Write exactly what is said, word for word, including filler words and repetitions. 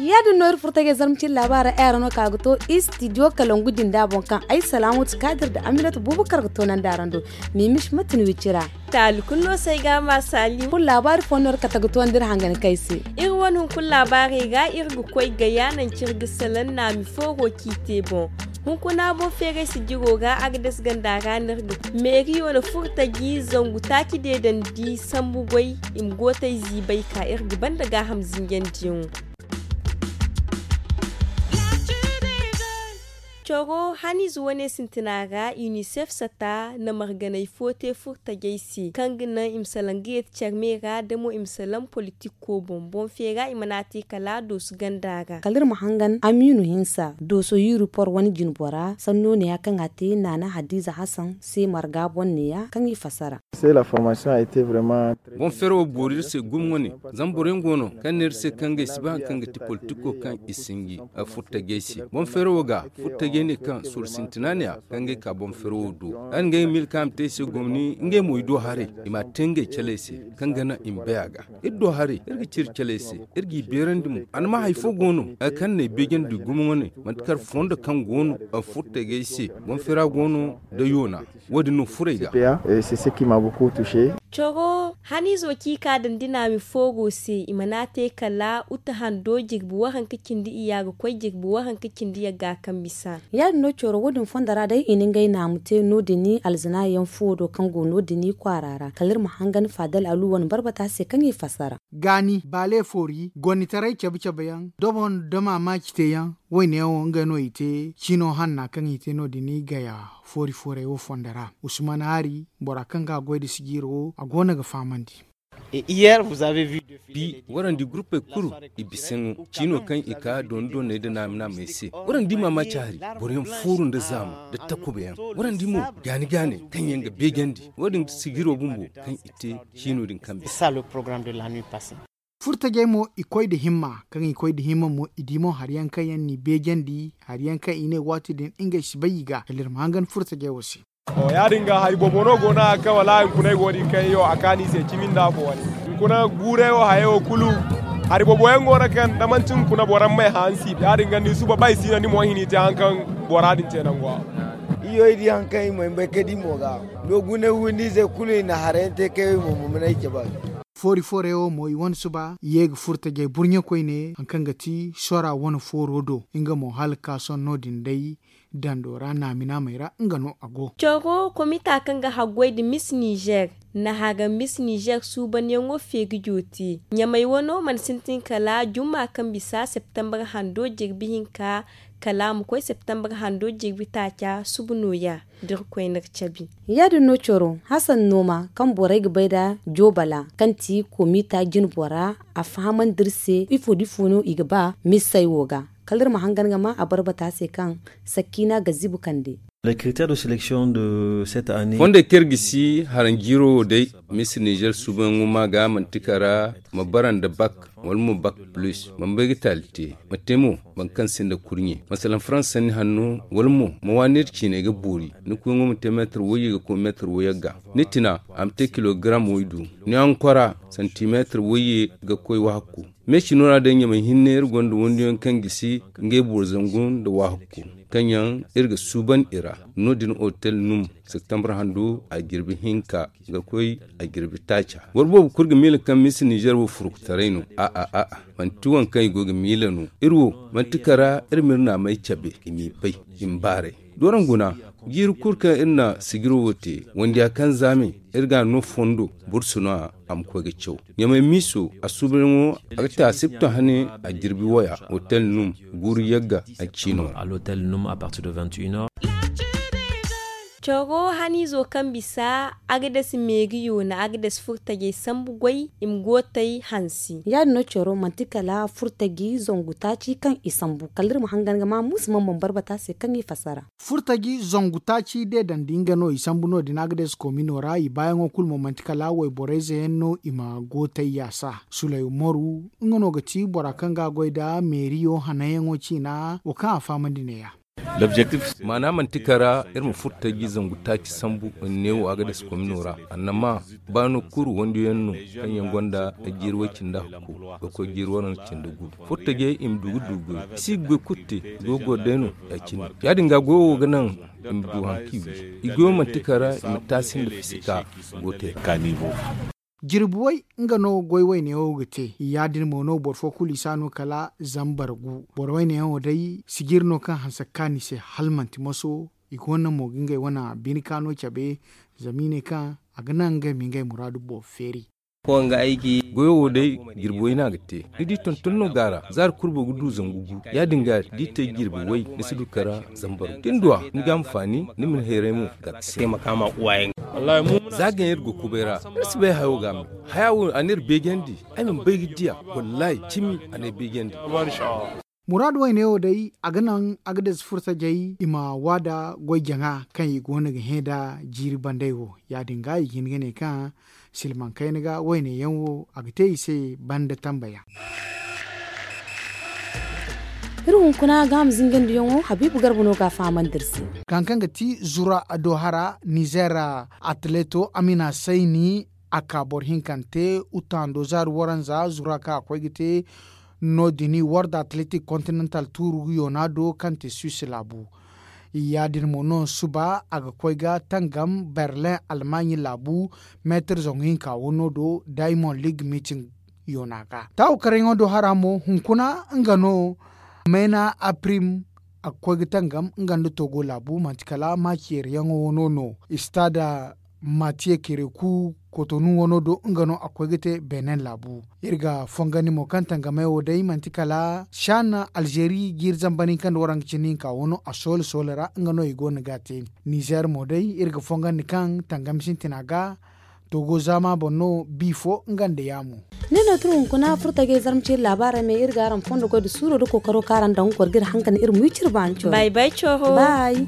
Ya- din no iri furo tajay zarma cine laabaara ay ra no ka ga to istidiyo kalangu din da boŋ kaŋ ay salaamatu kaadir nda aminatu buubakar ga toonandi araŋ do. Mimis mate ni wicira. Taali kulu no se ay ga a ma saali. Kulu laabaari fooyaŋ no iri kate ga toonandi iri hangan kay se. Iri wane hunkuna laabaarey ra iri ga koy gaya nangu kaŋ iri ga salaŋ naami fooro ciiti boŋ. Hunkuna boŋ feeray sijiro ra agades ganda ra no iri ga koy meeriyo na furo taji zangu taaci deedandi sambu goy. I ma gootay ziibay ka iri ga banda gaaham zinjandiyaŋo. Coro haniize wane sintina ra unicef sata na marganay fo te furtajey se kaŋ ga naŋ i ma salaŋ ga yeeti care me ra da mo i ma salaŋ politik ko boŋ boŋ feera i mana te kala doosu ganda ra. Kala iri ma hangan amiinu hinsa dooso yurupor wane jinbora sanno neeya kaŋ a te naana hadiiza hasan se marga boŋ neeya kaŋ i fassara. Boŋ feero wo boori iri se gumo wane. Zama boroyaŋ go no kaŋ ne iri se kaŋ ngey si ba hari kaŋ ga ti politiko kaŋ i sinji furtajey se boŋ feero wo ga furtajey ne kaŋ soro sintina ne a kaŋ ngey ka boŋ feero wo do. Hari ngey ga miila kaŋ a ma te i se gomni ngey mo i do haray i ma a te ngey caley se kaŋ ga naŋ i ma bay a ga. Iri do haray iri ga ci iri caley se iri g'i beerandi mo a na ma hari fo go no hari kaŋ na ay beejandi gumo wane manti kar fondo kaŋ go no furtajey se boŋ feera go no da yoona. Wo- din no furo ay ga. Coro haniizo kaŋ i ka daŋ dinaami fooro se i mana te kala uta hando jirbi waranka cindi iyya ga koy jirbi waranka cindi yagga kaŋ bisa. Ya- din no coro wo- din fondo ra day i na ngey naamu te no- din alzana yaŋ fo do kaŋ go no- din kwaara ra kala iri ma hangan faadal alu wane barbata se kaŋ i fassara. Gaani baale foori gonitaray cabe cabe yaŋ dobo nda maamaaci te yaŋ. Woyne wo nga no i te ciino hanna kaŋ i te no- din gaya foori fooray wo fondo ra usman hari bora kaŋ ga goy da sijiiro wo a go no ga fahamandi. Bi warandi gurupey kulu i bisa no ciino kaŋ i ka dooni dooney nda naami naamey se. Warandi maamaaci hari boroyaŋ fooru nda zaama nda takuba yaŋ. Warandi mo gaani gaaney kaŋ yaŋ ga beejandi wo- din ga sijiiro bumbo kaŋ i te ciino din kaŋ bisa. Furtajey mo i koy nda himma kaŋ i koy nda himma mo i di mo hari yaŋ kaŋ yaŋ n'i beejandi hari yaŋ kaŋ i ne waati din ngey si bay i ga kala iri ma hangan furtajey wo se. Ya- din ga hari boobo no go no a ga kaŋ wala hunkuna i go no i kaŋ yo a kaani i se cimi nda afo wane. Hunkuna guurey wo hayey wo kulu hari boobo yaŋ go no kaŋ da manti hunkuna boro ma may hã ni si ya- din ga ni suba ba i si no ni mo hini te hari kaŋ bora din te nango a. Iyo i di hari kaŋ i mo i ma bay ka di mo ga. No gune windi ize kulu i na harayaŋ te kay wo i mo ma mana i cabe a ga. Foori fooray wo mo i wane suba i ye ga furo tajay burɲe koyne hari kaŋ ga ti sora wane fooro do nga mo hala ka sohõ no- din day dando ra naami naamey ra nga no a go. Coro komita kaŋ ga haggoy nda mis nizer na haga mis nizer suubanyaŋo feeri jooti ɲamay wano mana sintin kala jumma kaŋ bisa septembre hando jirbi hinka kala a ma koy septembre hando jirbi taaca suba nooya. Da iri koy no ga cabe. Ya- din no coro hasan nooma kaŋ borey ga bay nd'a joobala kaŋ ti komita jinbora a fahamandi iri se ifo da ifo no i ga ba misey wo ga kala iri ma hangan ga ma a barbata se kaŋ sakkiina ga zibu kande. Fondey kaŋ iri ga si haranjiiro wo day, misa nizer suubanyaŋo ma ga manti kara ma bara nda bak wala mo bak plus ma bay ga taali te ma te mo boro kaŋ sinda kurɲe masalaŋ faransa sanni hanno wala mo ma waani iri ciiney ga boori ni kuuyaŋo ma te meetar wayye ga koy meetar wayye ga ni tina a ma te kilogaram waydu ni hankora santimeetar wayye ga koy wahakku. Meesi no ra day ɲamay hinne iri gonda wandiyaŋ kaŋ gisi ngey boro zangu nda wahakku kaŋ yaŋ iri ga suuban i ra. No- din otel num septembre handu a jirbi hinka ga koy a jirbi taaca. Boro boobo kulu ga miila kaŋ misa nizer wo furkutaray no. A'a a'a manti waŋ kaŋ i go ga miila no. Iri wo manti kara iri ma iri naamey cabe i m'i bay i ma baaray. Dooraŋ guna jiiri kulu kaŋ iri na sijiro wo te wandiya kaŋ zaame iri ga a no fondo bursu no a ma koy ga caw. Ɲamay miiso a suubanyaŋo a ga te a sipto hane a jirbi waya otel num guuru yagga a ciino ra. Coro haniizo kaŋ bisa agades meeriyo na agades furtajey sambu goy i ma gootey hansi. Ya- din no coro manti kala furtaji zangu taaci kaŋ i sambu kala iri ma hangan ga ma muusu mana boŋ barbata se kaŋ i fassara. Furtaji zangu taaci deedandi nga no i sambu no- din agades komino ra i baayaŋo kulu mo manti kala wayborayze yaŋ no i ma gootey yaasa. Suley umaru nga no ga ti bora kaŋ ga a goy nda meeriyo hananyaŋo ciina wo kaŋ a fahamandi neeya. Maana manti kara iri ma furtaji zangu taaci sambu neewo agades komino ra. Annama baano kuru wandiyaŋ no kaŋ yaŋ gonda jiiri way cindi hakku ga koy jiiri waranza cindi gu. Furtajey i ma du ga du goy i si ga goy kulu te. Goy goro day no ya- cine ya- din ga goyo wo ga naŋ i ma du hari kaŋ i wi. I goyo manti kara i ma taasi nda fisika go te. Jirbi way nga no goy wayne wo ga te ya- din mo no boro fo kulu i si a no kala zambar gu. Boro wayne yaŋo day sijiri no kaŋ hanse ga kaanu i se hala manti moso. I go no mo ga ngey wane bine kaano cabe zama i ne kaŋ a ga naŋ ngey ma ngey muraadu boobo feeri. Goyo wo day jirbi way no a ga te. Ni di tonton no go a ra zaari kulu boro ga du zangu gu. Ya- din ga da i te jirbi way ni si du kara zambar gu da ni du a ni ga a ma faani ni ma ni hayray mo ga a ga se. Za ga iri ga kubay ra iri si bay hayo ga a me. Haya wo a n'iri beejandi. Ay mana bay ga diya. Wallaahi cimi a n'ay beejandi. Muraadu wayne wo day a ga naŋ a ga dasi furtajey i ma waada goy jaŋa kaŋ i go no ga hẽ nda jiiri bandey wo. Ya- din ga i ga hin ga ne kaŋ silmaŋ kayna ga wayne yaŋ wo a ga te i se banda tambayaŋ. Iri hunkuna ga a ma zingandiyaŋo habiibu garba no ga a fahamandi iri se. Kaŋ kaŋ ga ti zura do hara nizeer atleto amina sayni a ka boro hinkante utando zaari waranza zura kaŋ a koy ga te no- din war da atletik kontinental tuuru yoona do kaŋ te suisse laabu. Ya- din mo no suba a ga koy ga tangam berlin almaaɲi laabu meetir zangu hinka wano do diamond league meeting yoona ga taawo karyaŋo do hara mo hunkuna nga no mayna aprim a ga koy ga tangam nga nda togo laabu manti kala maaci yeeriyaŋo wano no istaada matiye kereku kotonu wano do nga no a koy ga te benin laabu. Iri ga fongandi mo kaŋ tangamey wo day manti kala shan alzeeri jiiri zambar hinka nda waranka cindi hinka wano a soole soole ra nga no i go no ga a te. Nizeer mo day iri ga fongandi kaŋ tangam sintina ga togo zaama boŋ no bi fo nga nda yaamo. Nin no tun hunkuna furtajey zarma ciiri laabaarey me iri ga araŋ fondo goy nda suuro nda kookaro kaŋ araŋ daŋ ga goro ga iri hankandi iri ma wi cire baani coro. Bay bay coro. Bay.